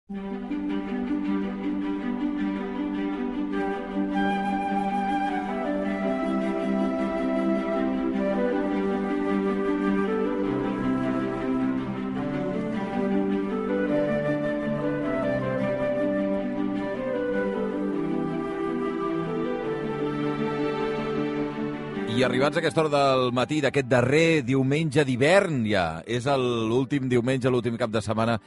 I arribats a aquesta hora del matí d'aquest darrer diumenge d'hivern ja, és l'últim diumenge, l'últim cap de setmana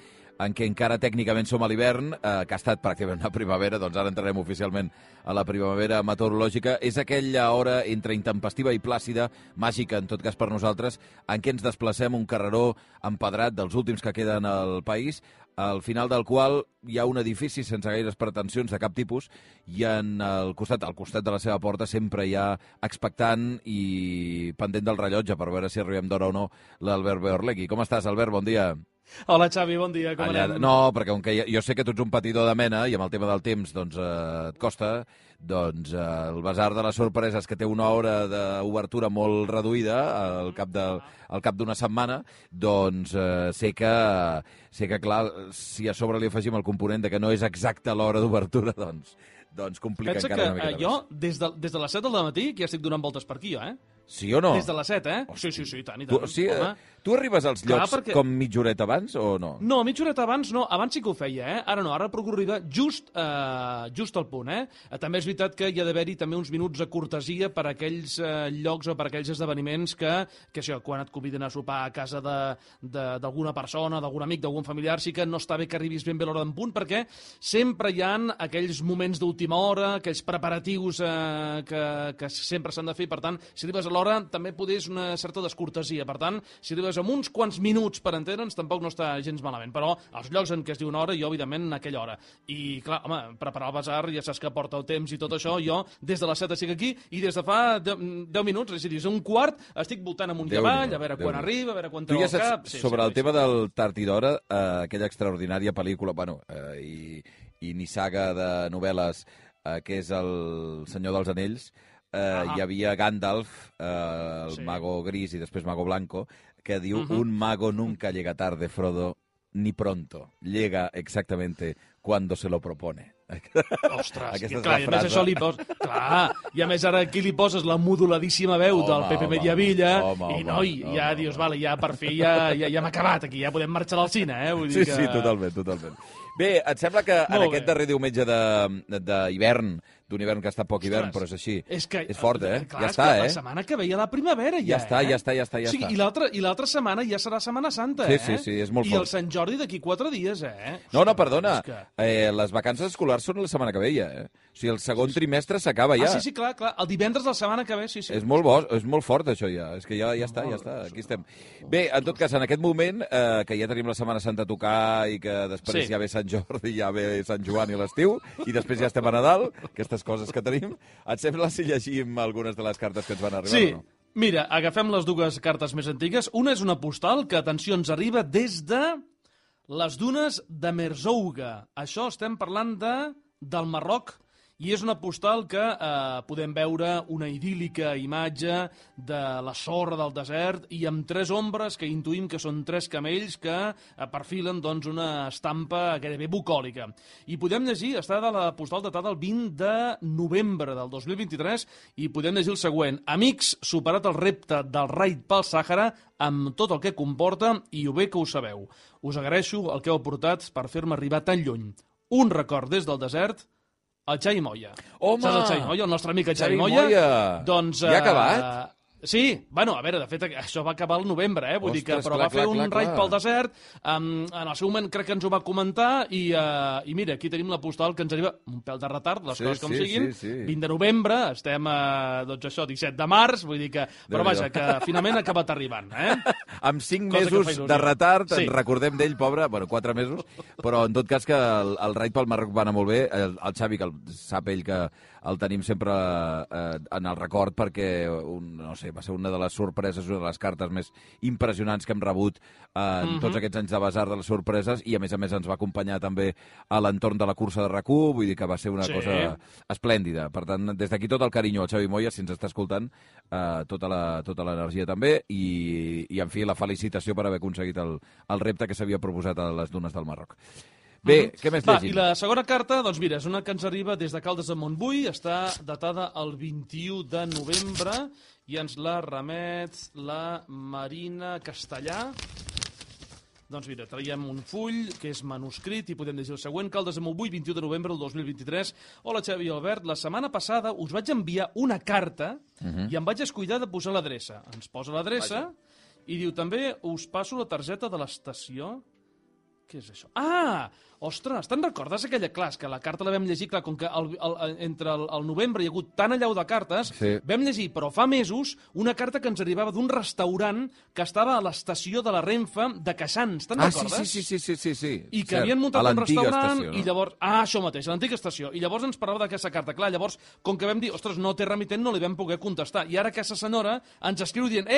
en què encara tècnicament som a l'hivern, que ha estat pràcticament una primavera, doncs ara entrarem oficialment a la primavera meteorològica. És aquella hora entre intempestiva i plàcida, màgica en tot cas per nosaltres, en què ens desplacem un carreró empedrat dels últims que queden al país, al final del qual hi ha un edifici sense gaires pretensions de cap tipus i al costat de la seva porta sempre hi ha expectant i pendent del rellotge per veure si arribem d'hora o no l'Albert Beorlegui. Com estàs, Albert? Bon dia. Hola, Xavi, bon dia, com anem? No, perquè com que jo sé que tu ets un patidor de mena i amb el tema del temps doncs, et costa, doncs el Basar de les Sorpreses, que té una hora d'obertura molt reduïda al cap d'una setmana, doncs sé que, clar, si a sobre li afegim el component de que no és exacta l'hora d'obertura, doncs complica pensa encara una miqueta més. Pensa que jo, des de les 7 del matí, que ja estic donant voltes per aquí, eh? Sí o no? Des de les 7, eh? Sí, i tant, i tant. Tu arribes als llocs com mitja horeta abans o no? No, mitja horeta abans no. Abans sí que ho feia, eh? Ara no, ara procuro arribar just al punt, eh? També és veritat que hi ha d'haver-hi també uns minuts de cortesia per a aquells llocs o per a aquells esdeveniments que això, quan et conviden a sopar a casa d'alguna persona, d'algun amic, d'algun familiar, sí que no està bé que arribis ben bé a l'hora d'en punt, perquè sempre hi ha aquells moments d'última hora, aquells preparatius que sempre s'han de fer. Per tant, si arribes a l'hora, també és una certa descortesia. Per tant, si arribes amb uns quants minuts per entendre'ns, tampoc no està gens malament. Però als llocs en què es diu una hora, jo, evidentment, en aquella hora. I, clar, home, preparar el basar, ja saps que porta el temps i tot això, jo des de les 7 estic aquí i des de fa 10 minuts, és a dir, un quart, estic voltant amunt i avall, a veure quan arriba, a veure quan treu el cap... Sobre el tema del Tard i d'Hora, aquella extraordinària pel·lícula, i ni saga de novel·les, que és El Senyor dels Anells, hi havia Gandalf, el mago gris i després mago blanco, que diu, un mago nunca llega tarde, Frodo, ni pronto. Llega exactamente cuando se lo propone. Ostres, clar, i a més això li poses... Clar, i a més ara aquí li poses la moduladíssima veu del Pepe Mediavilla i ja dius, vale, ja per fi ja hem acabat aquí, ja podem marxar al cine, eh? Vull dir que... Sí, totalment. Bé, et sembla que en aquest darrer diumenge d'hivern, d'un hivern que està poc hivern, però és així, és fort, eh? Clar, ja està, la setmana que veia la primavera ja està. O sigui, i l'altra setmana ja serà Setmana Santa, eh? Sí, és molt fort. I el Sant Jordi d'aquí 4 dies, eh? No, perdona, les vacances escolars són la setmana que ve ja, eh? O sigui, el segon trimestre s'acaba ja. Sí, clar, el divendres de la setmana que ve, sí. És molt fort, això ja. És que ja està, aquí estem. Bé, en tot cas, en aquest moment, que ja tenim la Setmana Santa a tocar i que després ja ve Sant Jordi, ja ve Sant Joan i l'estiu, i després ja estem a Nadal, aquestes coses que tenim, et sembla si llegim algunes de les cartes que ens van arribar o no? Mira, agafem les dues cartes més antigues. Una és una postal que, atenció, ens arriba des de les dunes de Merzouga. Això estem parlant del Marroc, i és una postal que podem veure una idíl·lica imatge de la sorra del desert i amb 3 ombres que intuïm que són 3 camells que perfilen doncs, una estampa gairebé bucòlica. I podem llegir, està de la postal datada el 20 de novembre del 2023, i podem llegir el següent. Amics, superat el repte del raid pel Sàhara amb tot el que comporta i ho bé que ho sabeu. Us agraeixo el que heu aportat per fer-me arribar tan lluny. Un record des del desert, el Xavi Moya. Home! Saps el Xavi Moya, el nostre amic Xavi Moya? Doncs, ja ha acabat? Sí, bueno, a veure, de fet, això va acabar al novembre, eh? Vull dir que, però va fer un raid pel desert, en el seu moment crec que ens ho va comentar, i mira, aquí tenim la postal que ens arriba un pèl de retard, les coses com siguin, 20 de novembre, estem, doncs això, 17 de març, vull dir que, però vaja, que finalment ha acabat arribant, eh? Amb 5 mesos de retard, en recordem d'ell, pobre, bueno, 4 mesos, però en tot cas que el raid pel Marroc va anar molt bé, el Xavi, que sap ell que el tenim sempre en el record perquè, no sé, va ser una de les sorpreses, una de les cartes més impressionants que hem rebut en tots aquests anys de Basar de les Sorpreses, i a més ens va acompanyar també a l'entorn de la cursa de RAC1, vull dir que va ser una cosa esplèndida. Per tant, des d'aquí tot el carinyo al Xavi Moya, si ens està escoltant, tota l'energia també, i en fi, la felicitació per haver aconseguit el repte que s'havia proposat a les dunes del Marroc. Bé, què més Va, llegim? i la segona carta, doncs mira, és una que ens arriba des de Caldes de Montbui, està datada el 21 de novembre i ens la remet la Marina Castellà. Doncs mira, traiem un full que és manuscrit i podem llegir el següent. Caldes de Montbui, 21 de novembre del 2023. Hola, Xavi i Albert. La setmana passada us vaig enviar una carta i em vaig descuidar de posar l'adreça. Ens posa l'adreça i diu també us passo la targeta de l'estació. Què és això? Ah! Ostres, te'n recordes aquella classe que la carta la vam llegir, clar, com que entre el novembre hi ha hagut tan allau de cartes, vam llegir, però fa mesos, una carta que ens arribava d'un restaurant que estava a l'estació de la Renfe de Queixans, te'n recordes? Sí. I que havien muntat un restaurant estació, no? i llavors... Ah, això mateix, a l'antiga estació. I llavors ens parlava d'aquesta carta. Clar, llavors, com que vam dir, ostres, no té remitent, no li vam poder contestar. I ara aquesta senyora ens escriu dient,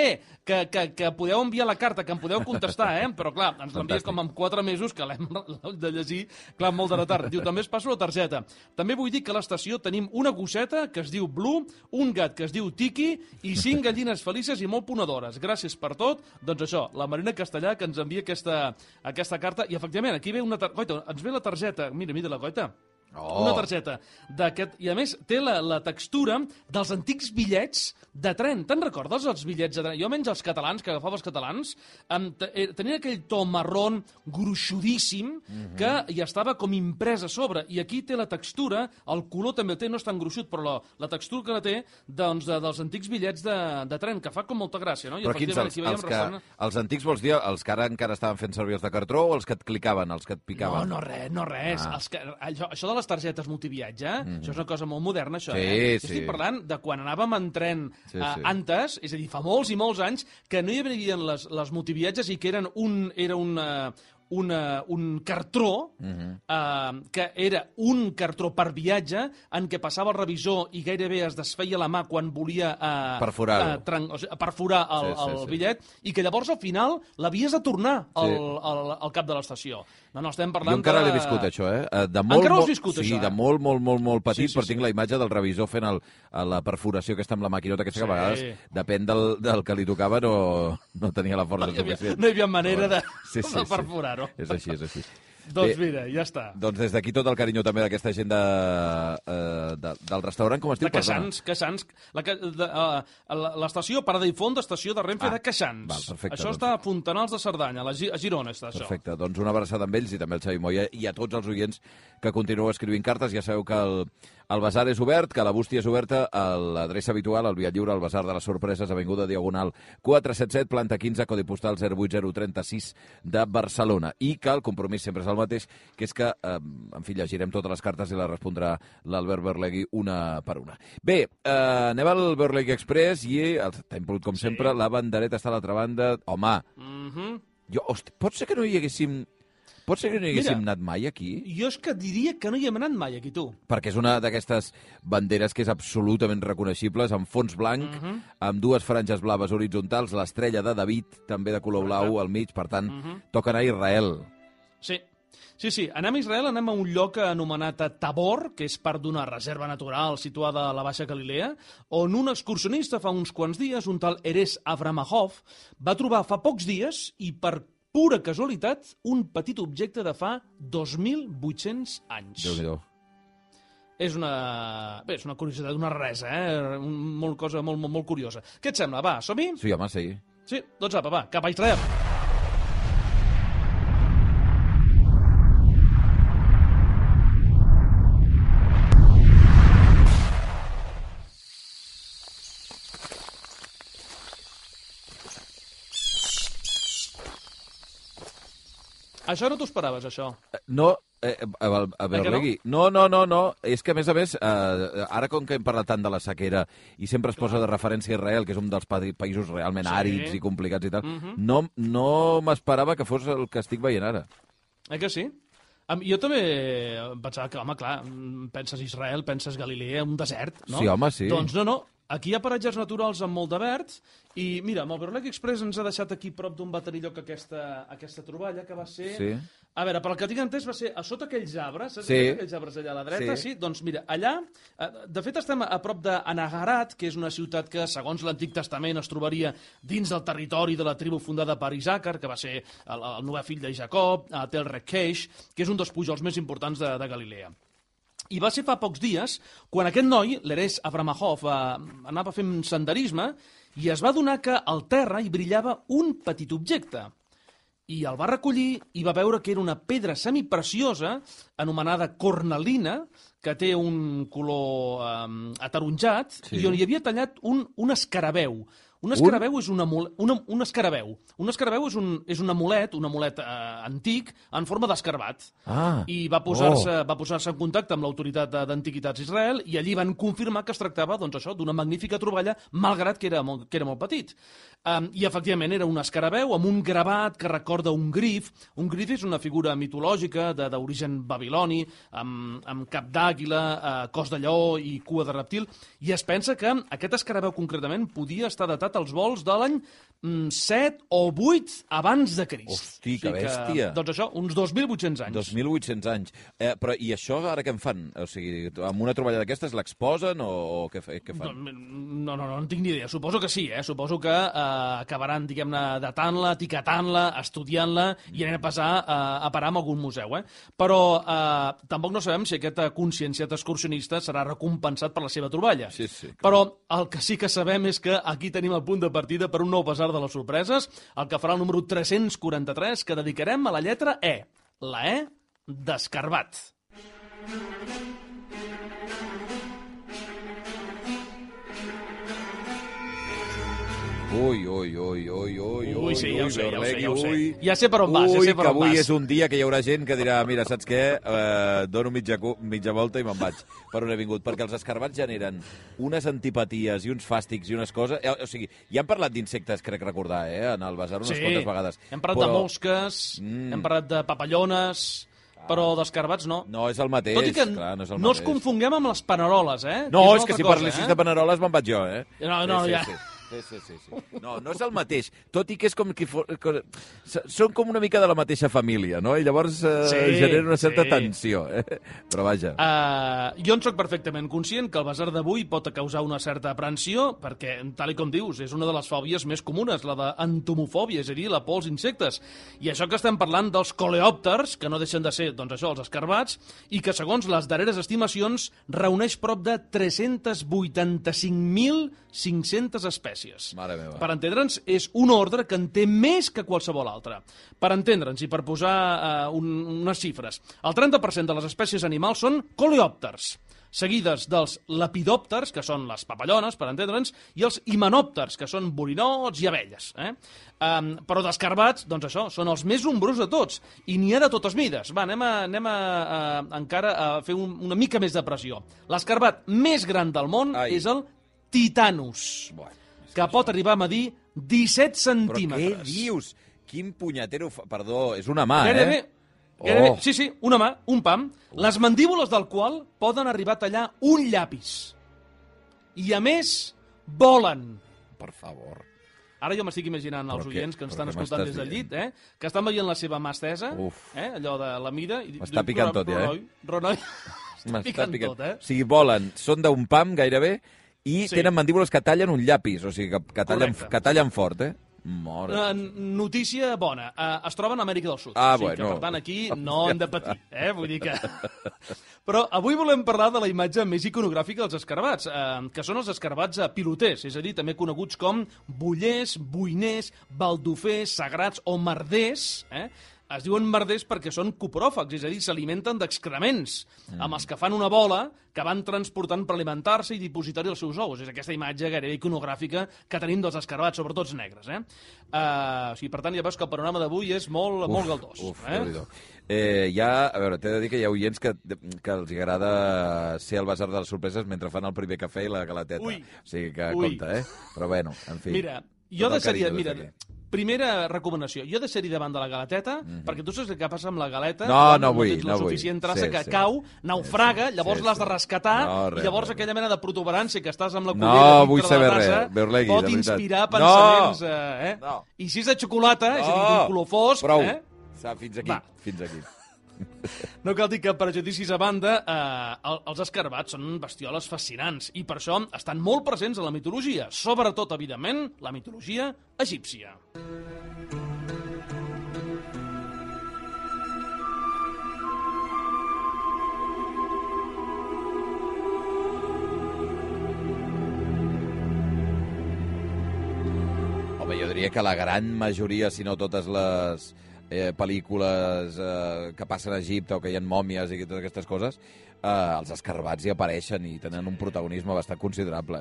que podeu enviar la carta, que em podeu contestar, Però clar, ens l'envia com en 4 mesos que l'hem de llegir. Clar, molt de retard. Diu, també es passo la targeta. També vull dir que a l'estació tenim una gosseta que es diu Blue, un gat que es diu Tiki i 5 gallines felices i molt ponedores. Gràcies per tot. Doncs això, la Marina Castellà que ens envia aquesta carta. I efectivament, aquí ve una targeta. Goita, ens ve la targeta. Mira la Goita. Una targeta d'aquest... I a més, té la textura dels antics bitllets de tren. Te'n recordes, els bitllets de tren? Jo menys els catalans, que agafava els catalans, tenien aquell to marrón gruixudíssim que hi estava com imprès a sobre. I aquí té la textura, el color també el té, no és tan gruixut, però la textura que la té doncs, dels antics bitllets de tren, que fa com molta gràcia, no? I però quins, els antics vols dir els que ara encara estaven fent servir els de cartró o els que et clicaven, els que et picaven? No, res. Això de les targetes multiviatge, això és una cosa molt moderna, això, Sí. Estic parlant de quan anàvem en tren antes, és a dir, fa molts i molts anys, que no hi havia les multiviatges i que eren un cartró que era un cartró per viatge en què passava el revisor i gairebé es desfeia la mà quan volia perforar el bitllet i que llavors al final l'havies de tornar al cap de l'estació. No, estem parlant jo encara l'he viscut, això, encara ho has viscut, això? Sí, de molt petit, però tinc la imatge del revisor fent la perforació aquesta amb la maquinota, aquesta que a vegades, depèn del que li tocava, no tenia la força suficient. No hi havia manera de perforar-ho. És així. Doncs mira, ja està. Doncs des d'aquí tot el carinyo també d'aquesta gent del restaurant, com es diu? De Queixans. L'estació Parada i Font d'estació de Renfe de Queixans. Perfecte, això està a Fontanals de Cerdanya, a Girona està això. Perfecte, doncs una abraçada amb ells i també al Xavi Moya i a tots els oients que continueu escrivint cartes. Ja sabeu que el Basar és obert, que la bústia és oberta, l'adreça habitual, el Via Lliure, el Basar de les Sorpreses, Avinguda Diagonal 477, planta 15, codi postal 08036 de Barcelona. I que el compromís sempre és el mateix, que és que, en fi, llegirem totes les cartes i les respondrà l'Albert Berlegui una per una. Bé, anem al Berlegui Express i t'hem pogut, com sempre, la bandereta està a l'altra banda. Home, pot ser que no hi haguéssim... Pot ser que no hi haguéssim anat mai aquí? Jo és que diria que no hi hem anat mai aquí, tu. Perquè és una d'aquestes banderes que és absolutament reconeixibles, amb fons blanc, amb dues franges blaves horitzontals, l'estrella de David, també de color blau al mig, per tant, toca anar a Israel. Sí, anem a Israel, anem a un lloc anomenat Tabor, que és part d'una reserva natural situada a la Baixa Galilea, on un excursionista fa uns quants dies, un tal Erez Avramahov, va trobar fa pocs dies i per pura casualitat, un petit objecte de fa 2.800 anys. Déu-n'hi-do. És una curiositat, una raresa, Molt cosa molt curiosa. Què et sembla? Va, som-hi? Sí, home, sí. Sí, doncs apa, va, cap a Israel. Això no t'ho esperaves, això? No, a Berlegui. No. És que, a més, ara com que hem parlat tant de la sequera i sempre es posa de referència a Israel, que és un dels països realment àrids i complicats i tal, no m'esperava que fos el que estic veient ara. Que sí? Jo també pensava que, home, clar, penses Israel, penses Galilea, un desert, no? Sí, home, sí. Doncs no. Aquí hi ha paratges naturals amb molt de verd i, mira, amb el Berlegui Express ens ha deixat aquí prop d'un baterilloc aquesta troballa que va ser A veure, pel que tinc entès va ser a sota aquells arbres, saps? Sí. Aquells arbres allà a la dreta, Sí. sí? Doncs mira, allà, de fet estem a prop d'Anagarat, que és una ciutat que, segons l'Antic Testament, es trobaria dins del territori de la tribu fundada per Isàcar, que va ser el novè fill de Jacob, Tel Requeix, que és un dels pujols més importants de Galilea. I va ser fa pocs dies quan aquest noi, l'Erez Avramahov, anava fent senderisme i es va adonar que al terra hi brillava un petit objecte. I el va recollir i va veure que era una pedra semipreciosa anomenada cornalina, que té un color ataronjat, i on hi havia tallat un escarabeu. Un escarabeu és un escarabeu. Un escarabeu és un amulet antic en forma d'escarbat. I va posar-se en contacte amb l'autoritat d'Antiguitats d'Israel i allí van confirmar que es tractava d'una magnífica troballa, malgrat que era molt petit. I efectivament era un escarabeu amb un gravat que recorda un grif. Un grif és una figura mitològica d'origen babiloni, amb cap d'àguila, cos de lleó i cua de reptil. I es pensa que aquest escarabeu concretament podia estar datat als vols de l'any 7 o 8 abans de Crist. Hosti, que bèstia. Doncs això, uns 2.800 anys. 2.800 anys. Però i això ara què en fan? O sigui, amb una troballa d'aquestes l'exposen o què fan? No en tinc ni idea. Suposo que sí, Suposo que acabaran, diguem-ne, datant-la, etiquetant-la, estudiant-la i anem a passar a parar en algun museu, Però tampoc no sabem si aquest conscienciat excursionista serà recompensat per la seva troballa. Sí, Però el que sí que sabem és que aquí tenim el punt de partida per un nou basar de les sorpreses, el que farà el número 343, que dedicarem a la lletra E. La E d'escarbat. Ui, sí, ja ho sé. Ui. Ja sé per on vas, Ui, que avui és un dia que hi haurà gent que dirà, mira, saps què? Dono mitja volta i me'n vaig per on he vingut. Perquè els escarbats generen unes antipaties i uns fàstics i unes coses... O sigui, ja hem parlat d'insectes, crec recordar, en el basar unes quantes vegades. Hem parlat de mosques, hem parlat de papallones... Però d'escarbats no. No, és el mateix. Tot i que clar, no és el no els confonguem amb les paneroles, No, és que si parlessis de paneroles me'n vaig jo, No, ja... Sí. No és el mateix. Tot i que és com... Són com una mica de la mateixa família, no? I llavors genera una certa tensió, Però vaja. Jo en soc perfectament conscient que el basar d'avui pot causar una certa aprensió, perquè, tal com dius, és una de les fòbies més comunes, la d'entomofòbia, és a dir, la por als insectes. I això que estem parlant dels coleòpters, que no deixen de ser, doncs això, els escarbats, i que, segons les darreres estimacions, reuneix prop de 385.500 espècies. Mare meva. Per entendre'ns, és un ordre que en té més que qualsevol altre. Per entendre'ns i per posar unes xifres, el 30% de les espècies animals són coleòpters, seguides dels lepidòpters, que són les papallones, per entendre'ns, i els himenòpters, que són borinots i abelles. Però d'escarbats, doncs això, són els més nombrosos de tots, i n'hi ha de totes mides. Va, anem encara a fer una mica més de pressió. L'escarbat més gran del món és el Titanus, que pot arribar a medir 17 centímetres. Però què dius? Quin punyetero... Perdó, és una mà, Gairebé, sí, una mà, un pam, les mandíbules del qual poden arribar a tallar un llapis. I, a més, volen. Per favor. Ara jo m'estic imaginant els oients que ens estan escoltant des del llit, que estan veient la seva mà estesa, allò de la mida... M'està picant tot, Renoi, m'està picant tot, O sigui, volen, són d'un pam gairebé, i tenen mandíbules que tallen un llapis, o sigui, que tallen fort, Notícia bona. Es troben a Amèrica del Sud. Bueno. Que, per tant, aquí no hem de patir, Vull dir que... Però avui volem parlar de la imatge més iconogràfica dels escarbats, que són els escarbats piloters, és a dir, també coneguts com bollers, boiners, baldofers, sagrats o merders, Es diuen merders perquè són copròfags, és a dir, s'alimenten d'excrements, amb els que fan una bola que van transportant per alimentar-se i dipositar-hi els seus ous. És aquesta imatge gairebé iconogràfica que tenim dels escarbats, sobretot els negres. O sigui, per tant, ja veus que el panorama d'avui és molt galdós. A veure, t'he de dir que hi ha oients que els agrada ser al basar de les sorpreses mentre fan el primer cafè i la galateta. O sigui que compte, Però bueno, en fi. Mira, jo deixaria... Primera recomanació, jo deixaria davant de la galeteta, perquè tu saps què passa amb la galeta, no vull, tens la suficient traça que cau, naufraga, llavors l'has de rescatar, i llavors aquella mena de protuberància que estàs amb la cullera dintre de la tassa pot inspirar pensaments... I si és de xocolata, és a dir, d'un color fosc... Fins aquí, fins aquí. No cal dir que, prejudicis a banda, els escarbats són bestioles fascinants i per això estan molt presents a la mitologia, sobretot, evidentment, la mitologia egípcia. Home, jo diria que la gran majoria, si no totes les pel·lícules que passen a Egipte o que hi ha mòmies i totes aquestes coses, els escarbats hi apareixen i tenen un protagonisme bastant considerable,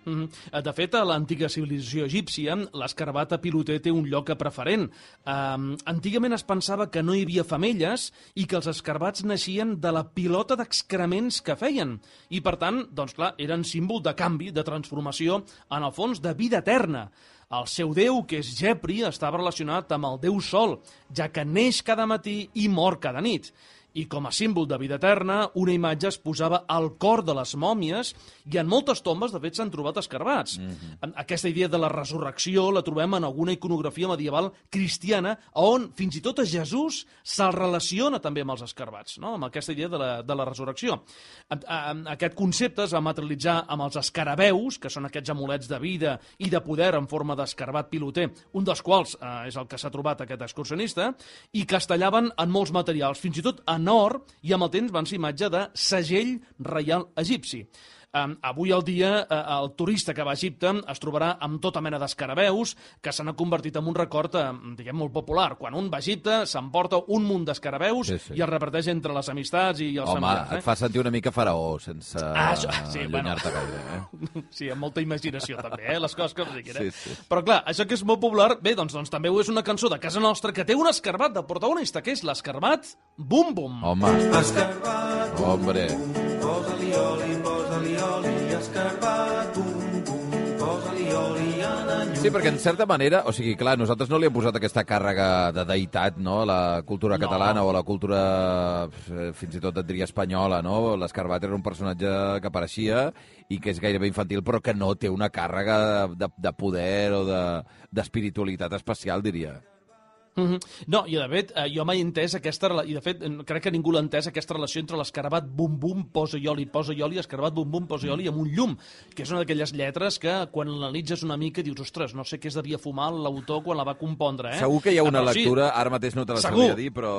De fet, a l'antiga civilització egípcia, l'escarbat piloter té un lloc preferent. Antigament es pensava que no hi havia femelles i que els escarbats naixien de la pilota d'excrements que feien. I, per tant, doncs clar, eren símbol de canvi, de transformació, en el fons de vida eterna. El seu déu, que és Gepri, estava relacionat amb el déu Sol, ja que neix cada matí i mor cada nit. I com a símbol de vida eterna, una imatge es posava al cor de les mòmies i en moltes tombes, de fet, s'han trobat escarbats. Aquesta idea de la resurrecció la trobem en alguna iconografia medieval cristiana on fins i tot a Jesús se'l relaciona també amb els escarbats, no? Amb aquesta idea de la resurrecció. Aquest concepte es va materialitzar amb els escarabeus, que són aquests amulets de vida i de poder en forma d'escarbat piloter, un dels quals és el que s'ha trobat aquest excursionista, i que es tallaven en molts materials, fins i tot en or, i amb el temps van ser imatge de segell reial egipci. Avui al dia, el turista que va a Egipte es trobarà amb tota mena d'escarabeus que s'han convertit en un record, diguem, molt popular. Quan un va a Egipte, s'emporta un munt d'escarabeus i els reparteix entre les amistats i els familiars. Home, et fa sentir una mica faraó, sense allunyar-te gaire. Sí, amb molta imaginació, també, les coses que em diguin. Però, clar, això que és molt popular, bé, doncs també ho és una cançó de casa nostra que té un escarbat de protagonista, que és l'escarbat Bum Bum. Home, escarbat, hombre. Posa-li oli, posa-li oli, escarbat, bum, bum, posa-li oli en llum. Sí, perquè en certa manera, o sigui, clar, nosaltres no li hem posat aquesta càrrega de deïtat, no?, a la cultura catalana o a la cultura, fins i tot et diria espanyola, no? L'escarbat era un personatge que apareixia i que és gairebé infantil, però que no té una càrrega de poder o d'espiritualitat especial, diria. No, i de fet, jo mai he entès aquesta relació, i de fet crec que ningú l'ha entès, aquesta relació entre l'escarabat bum bum, posa ioli, escarabat bum bum, posa ioli amb un llum, que és una d'aquelles lletres que quan l'analitzes una mica dius, ostres, no sé què es devia fumar l'autor quan la va compondre, Segur que hi ha una lectura, ara mateix no te la sabria dir, però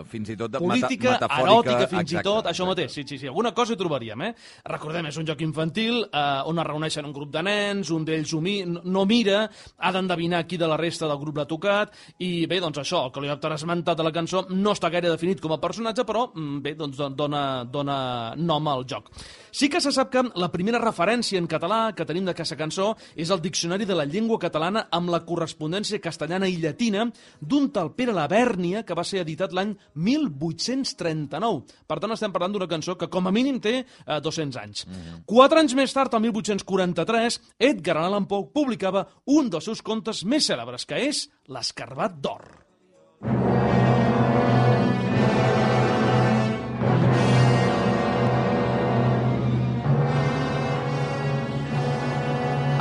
fins i tot política, metafòrica, eròtica, fins i tot, això mateix, sí, alguna cosa hi trobaríem, Recordem, és un joc infantil on es reuneixen un grup de nens, un d'ells no mira, ha d'endevinar qui de la resta del grup l'ha tocat, i bé, doncs això, el coleòpter esmentat de la cançó no està gaire definit com a personatge, però bé, doncs dona nom al joc. Sí que se sap que la primera referència en català que tenim d'aquesta cançó és el Diccionari de la Llengua Catalana amb la correspondència castellana i llatina d'un tal Pere Labèrnia, que va ser editat l'any 1839. Per tant, estem parlant d'una cançó que com a mínim té 200 anys. 4 anys més tard, el 1843, Edgar Allan Poe publicava un dels seus contes més cèlebres, que és L'escarbat d'or.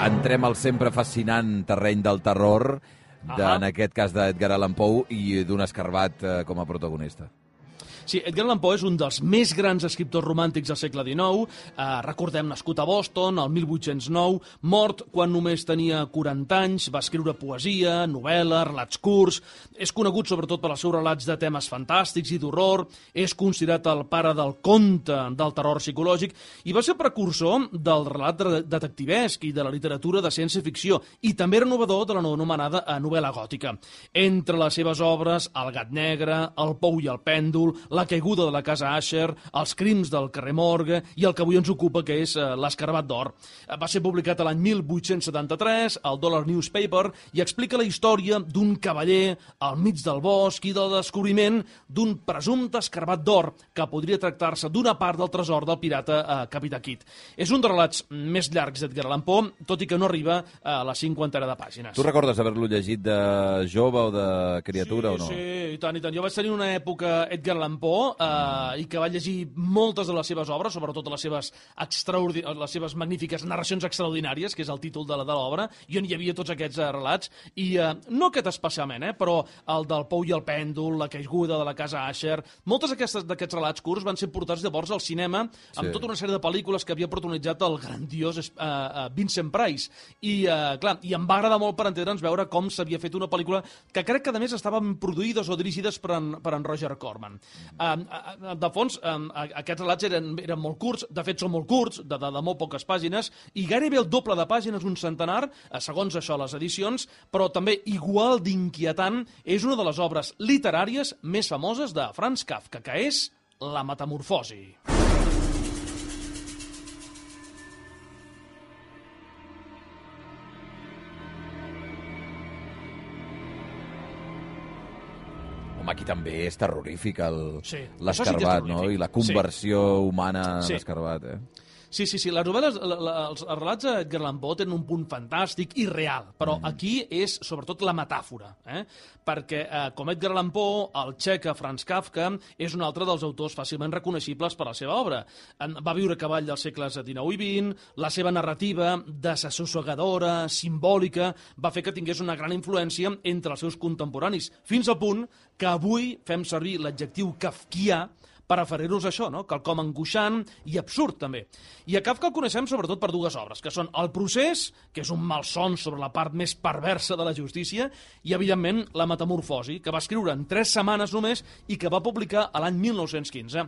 Entrem al sempre fascinant terreny del terror, en aquest cas d'Edgar Allan Poe, i d'un escarbat com a protagonista. Sí, Edgar Allan Poe és un dels més grans escriptors romàntics del segle XIX. Recordem, nascut a Boston, el 1809, mort quan només tenia 40 anys, va escriure poesia, novel·la, relats curts, és conegut sobretot per els seus relats de temes fantàstics i d'horror, és considerat el pare del conte del terror psicològic i va ser precursor del relat detectivesc i de la literatura de ciència-ficció i també era innovador de la anomenada novel·la gòtica. Entre les seves obres, El gat negre, El pou i el pèndol, La caiguda de la casa Asher, Els crims del carrer Morgue i el que avui ens ocupa, que és L'escarbat d'or. Va ser publicat l'any 1873 al Dollar Newspaper i explica la història d'un cavaller al mig del bosc i del descobriment d'un presumpte escarbat d'or que podria tractar-se d'una part del tresor del pirata Capità Kidd. És un dels relats més llargs d'Edgar Allan Poe, tot i que no arriba a la 50 de pàgines. Tu recordes haver-lo llegit de jove o de criatura o no? Sí, i tant. Jo vaig tenir una època Edgar Allan Poe Poe i que va llegir moltes de les seves obres, sobretot les seves magnífiques narracions extraordinàries, que és el títol de l'obra, i on hi havia tots aquests relats, i no aquest especialment, però el del Pou i el pèndol, la caiguda de la casa Asher, moltes d'aquests relats curts van ser portats llavors al cinema amb tota una sèrie de pel·lícules que havia protagonitzat el grandiós Vincent Price. I, clar, i em va agradar molt per entendre'ns veure com s'havia fet una pel·lícula que crec que, a més, estaven produïdes o dirigides per en Roger Corman. De fons, aquests relats eren molt curts, de fet són molt curts, de molt poques pàgines, i gairebé el doble de pàgines, un centenar, segons això les edicions, però també igual d'inquietant, és una de les obres literàries més famoses de Franz Kafka, que és La Metamorfosi. Home, aquí també és terrorífic Sí, l'escarbat, no? I la conversió humana en l'escarbat, Sí, les novel·les, els relats de Edgar Allan Poe tenen un punt fantàstic i real, però aquí és sobretot la metàfora, perquè com Edgar Allan Poe, el txec Franz Kafka és un altre dels autors fàcilment reconeixibles per la seva obra. Va viure a cavall dels segles XIX i XX, la seva narrativa, desassossegadora, simbòlica, va fer que tingués una gran influència entre els seus contemporanis, fins al punt que avui fem servir l'adjectiu kafkià per referir-nos a això, no? Quelcom angoixant i absurd, també. I a Kafka el coneixem sobretot per dues obres, que són El procés, que és un malson sobre la part més perversa de la justícia, i, evidentment, La metamorfosi, que va escriure en 3 setmanes només i que va publicar a l'any 1915.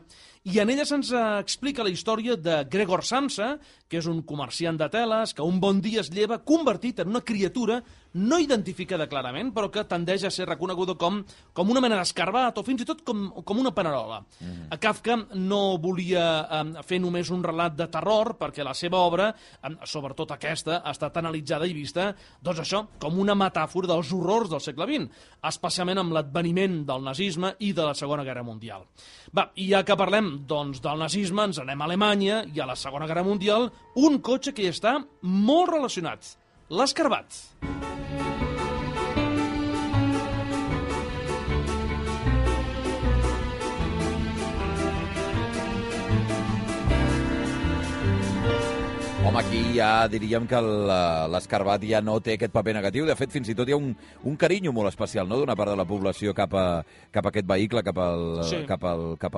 I en ella se'ns explica la història de Gregor Samsa, que és un comerciant de teles, que un bon dia es lleva convertit en una criatura no identificada clarament, però que tendeix a ser reconeguda com una mena d'escarbat o fins i tot com una panerola. Kafka no volia fer només un relat de terror, perquè la seva obra, sobretot aquesta, ha estat analitzada i vista, doncs això, com una metàfora dels horrors del segle XX, especialment amb l'adveniment del nazisme i de la Segona Guerra Mundial. Va, i ja que parlem doncs, del nazisme, ens anem a Alemanya i a la Segona Guerra Mundial, un cotxe que hi està molt relacionat, l'escarbat. Home, aquí ja diríem que l'escarbat ja no té aquest paper negatiu. De fet, fins i tot hi ha un carinyo molt especial, no?, d'una part de la població cap a aquest vehicle, cap a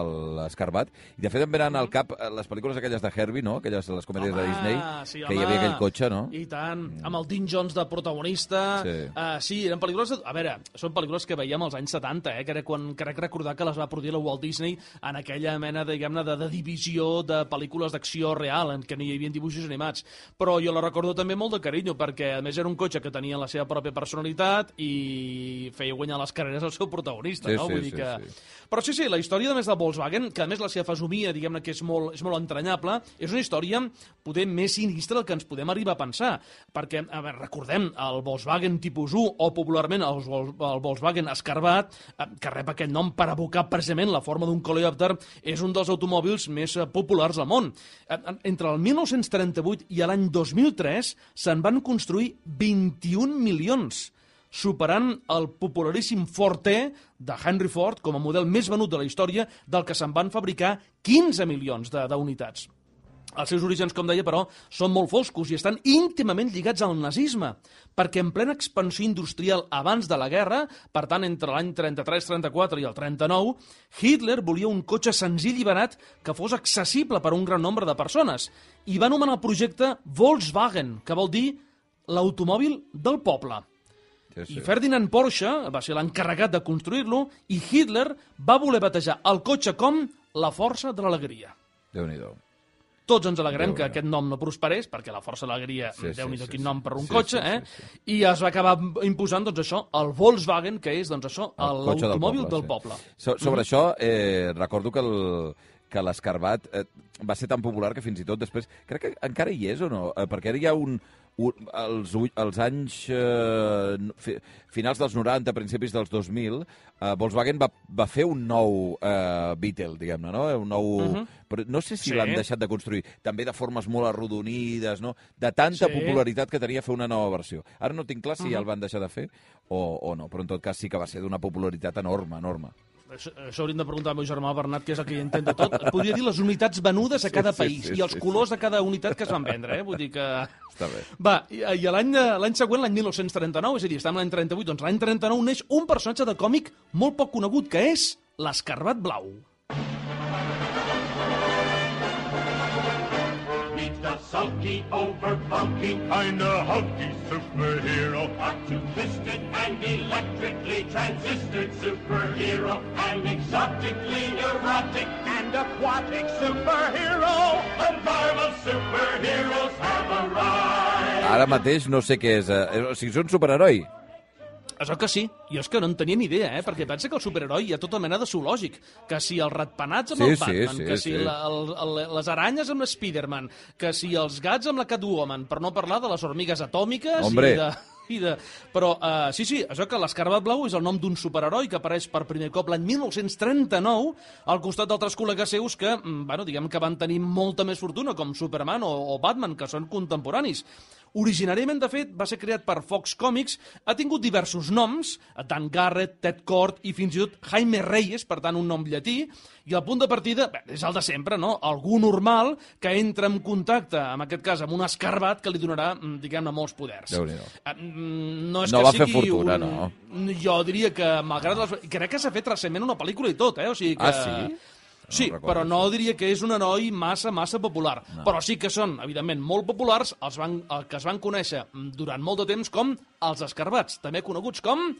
l'escarbat. I, de fet, em venen al cap les pel·lícules aquelles de Herbie, no?, aquelles les comèdies de Disney, que hi havia aquell cotxe, no? I tant, amb el Dean Jones de protagonista. Sí, eren pel·lícules... A veure, són pel·lícules que veiem als anys 70, que era quan crec recordar que les va produir la Walt Disney en aquella mena, diguem-ne, de divisió de pel·lícules d'acció real, en què no hi havia dibuixos animats. Però jo la recordo també molt de carinyo, perquè a més era un cotxe que tenia la seva pròpia personalitat i feia guanyar les carreres al seu protagonista, no? Vull dir que... Però sí, la història, a més, de Volkswagen, que a més la seva fesomia, diguem-ne, que és molt entranyable, és una història poder més sinistra del que ens podem arribar a pensar, perquè, a veure, recordem, el Volkswagen Tipus 1, o popularment el Volkswagen Escarbat, que rep aquest nom per evocar precisament la forma d'un coleòpter, és un dels automòbils més populars al món. Entre el 1938 i l'any 2003 se'n van construir 21 milions, superant el popularíssim Ford T de Henry Ford com a model més venut de la història, del que se'n van fabricar 15 milions d'unitats. Els seus orígens, com deia, però, són molt foscos i estan íntimament lligats al nazisme, perquè en plena expansió industrial abans de la guerra, per tant, entre l'any 33-34 i el 39, Hitler volia un cotxe senzill i barat que fos accessible per a un gran nombre de persones, i va anomenar el projecte Volkswagen, que vol dir l'automòbil del poble. I Ferdinand Porsche va ser l'encarregat de construir-lo i Hitler va voler batejar el cotxe com la força de l'alegria. Déu-n'hi-do. Tots ens alegrem que aquest nom no prosperés, perquè la força de l'alegria, Déu-n'hi-do quin nom per un cotxe, i es va acabar imposant, doncs això, el Volkswagen, que és, doncs això, l'automòbil del poble. Sobre això, recordo que l'escarbat va ser tan popular que fins i tot després... Crec que encara hi és o no? Perquè ara hi ha als anys finals dels 90, principis dels 2000, Volkswagen va fer un nou Beetle, diguem-ne, no? Un nou... Però no sé si l'han deixat de construir, també de formes molt arrodonides, no? De tanta popularitat que tenia fer una nova versió. Ara no tinc clar si ja el van deixar de fer o no, però en tot cas sí que va ser d'una popularitat enorme, enorme. Això hauríem de preguntar al meu germà Bernat, que és el que hi entén de tot. Et podria dir les unitats venudes a cada país i els colors de cada unitat que es van vendre, Vull dir que... Està bé. Va, i l'any següent, l'any 1939, és a dir, estem a l'any 38, doncs l'any 39 neix un personatge de còmic molt poc conegut, que és l'Escarabat Blau. The sulky, over-funky, kinda hulky superhero. A two-fisted and electrically transistored superhero. An exotically neurotic and aquatic superhero. The Marvel superheroes have arrived. Ara mateix no sé què és. O sigui, és un superheroi. Això que sí, jo és que no en tenia ni idea, perquè pensa que el superheroi hi ha tota mena de zoològic, que si els ratpenats amb el Batman, que si les aranyes amb l'Spiderman, que si els gats amb la Catwoman, per no parlar de les hormigues atòmiques Però, sí, això que l'Escarabat Blau és el nom d'un superheroi que apareix per primer cop l'any 1939 al costat d'altres col·legues seus que, diguem que van tenir molta més fortuna, com Superman o Batman, que són contemporanis. Originàriament, de fet, va ser creat per Fox Comics, ha tingut diversos noms, Dan Garrett, Ted Kord i fins i tot Jaime Reyes, per tant un nom llatí, i el punt de partida és el de sempre, no? Algú normal que entra en contacte, en aquest cas amb un escarabat que li donarà, diguem-ne, molts poders. No és no que va sigui fer fortuna, no? Jo diria que, malgrat crec que s'ha fet recentment una pel·lícula i tot, O sigui que... Ah, sí? Sí, però no diria que és un heroi massa popular. No. Però sí que són, evidentment, molt populars, els que es van conèixer durant molt de temps com els escarabats, també coneguts com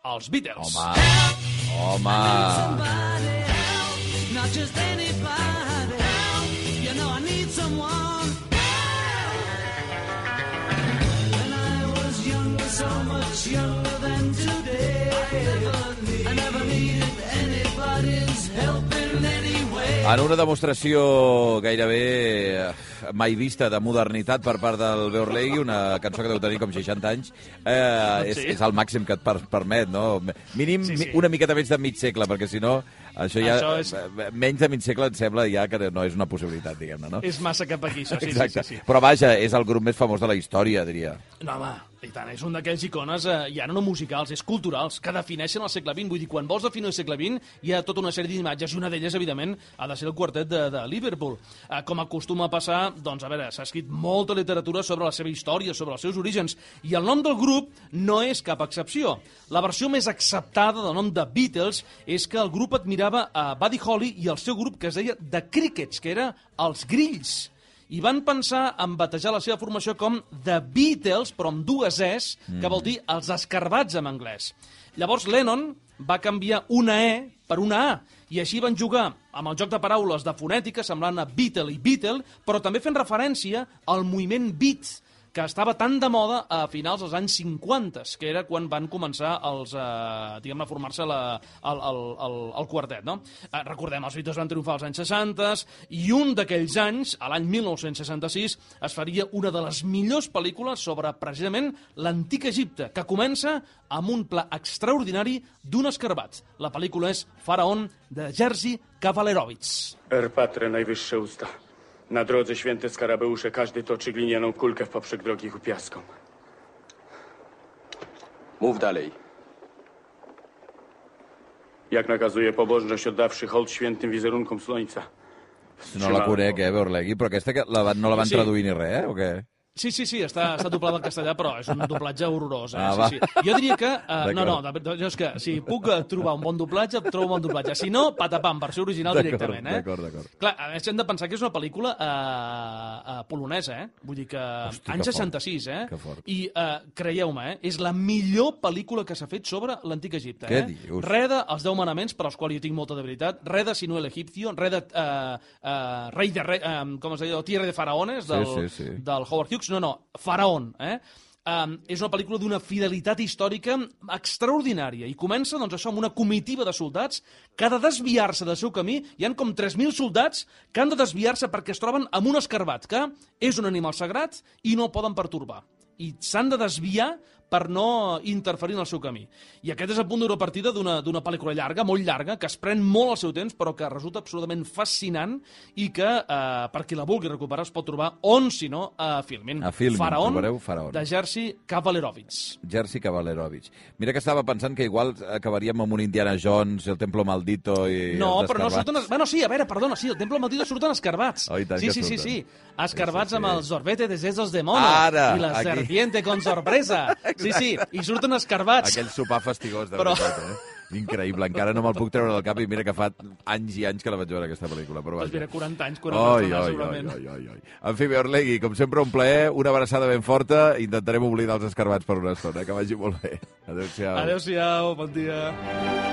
els Beatles. Home! En una demostració gairebé mai vista de modernitat per part del Beorlegui, una cançó que deu tenir com 60 anys, és el màxim que et permet, no? Mínim una miqueta menys de mig segle, perquè si no, això ja... Menys de mig segle em sembla ja que no és una possibilitat, diguem-ne, no? És massa cap aquí, això, sí. Però vaja, és el grup més famós de la història, diria. No, home, i tant, és un d'aquells icones, ja no musicals, és culturals, que defineixen el segle XX. Vull dir, quan vols definir el segle XX, hi ha tota una sèrie d'imatges, i una d'elles, evidentment, ha de ser el quartet de Liverpool. Com acostuma a passar, doncs, a veure, s'ha escrit molta literatura sobre la seva història, sobre els seus orígens, i el nom del grup no és cap excepció. La versió més acceptada del nom de Beatles és que el grup admirava a Buddy Holly i el seu grup que es deia The Crickets, que era els Grills. I van pensar en batejar la seva formació com The Beatles, però amb dues Es, que vol dir els escarbats en anglès. Llavors Lennon va canviar una E per una A, i així van jugar amb el joc de paraules de fonètica, semblant a Beatle i Beatle, però també fent referència al moviment beat, que estava tan de moda a finals dels anys 50, que era quan van començar a formar-se el quartet, no? Recordem, els Beatles van triomfar als anys 60, i un d'aquells anys, a l'any 1966, es faria una de les millors pel·lícules sobre, precisament, l'antic Egipte, que comença amb un pla extraordinari d'un escarabat. La pel·lícula és Faraon, de Jerzy Kawalerovicz. Erpatre, najwyższe usta. Na drodze święte skarabeusze, każdy toczy glinianą kulkę w poprzek drogi ku piaskom. Mów dalej. Jak nakazuje pobożność, oddawszy hołd świętym wizerunkom słońca. No la conec, Beorlegui, però aquesta no la van traduir ni res, o què? Sí, està doblada al castellà, però és un doblatge horrorós. Sí. Jo diria que... és que si puc trobar un bon doblatge, trobo un bon doblatge. Si no, patapam, versió original directament. D'acord. Clar, a més hem de pensar que és una pel·lícula polonesa, Vull dir que... Hosti, anys 66, Que fort. I creieu-me, és la millor pel·lícula que s'ha fet sobre l'antic Egipte. Què dius? Re de Els 10 manaments, per als quals jo tinc molta debilitat, re de Sinuel Egipcio, re de Rei de Rei... com es deia? Tierra de Faraones, del Howard Hughes. No, Faraón, és una pel·lícula d'una fidelitat històrica extraordinària i comença, doncs, això, amb una comitiva de soldats que ha de desviar-se del seu camí. Hi han com 3.000 soldats que han de desviar-se perquè es troben amb un escarabat, que és un animal sagrat i no el poden pertorbar. I s'han de desviar per no interferir en el seu camí. I aquest és el punt d'una partida d'una pel·lícula llarga, molt llarga, que es pren molt el seu temps, però que resulta absolutament fascinant i que, per qui la vulgui recuperar, es pot trobar on, si no, a Filmin. A Filmin, trobareu Faraón. De Jerzy Kavalerovich. Jerzy Kavalerovich. Mira que estava pensant que igual acabaríem amb un Indiana Jones, el Templo Maldito i no, els però no escarbats. surten... Bueno, sí, a veure, perdona, sí, el Templo Maldito surten escarbats. Oh, i tant que surten. Sí. Escarbats Sí. amb el sorbete de sesos de mono. Ara, I la aquí. serpiente con sorpresa. Sí, i surten escarbats. Aquell sopar fastigós, de Però- veritat, Increïble, encara no me'l puc treure del cap i mira que fa anys i anys que la vaig veure, aquesta pel·lícula. Però Doncs vaja. mira, 40 anys, 40 anys, segurament. Oi. En fi, Orlegui, com sempre, un plaer, una abraçada ben forta, intentarem oblidar els escarbats per una estona, que vagi molt bé. Adéu-siau. Adéu-siau, bon dia.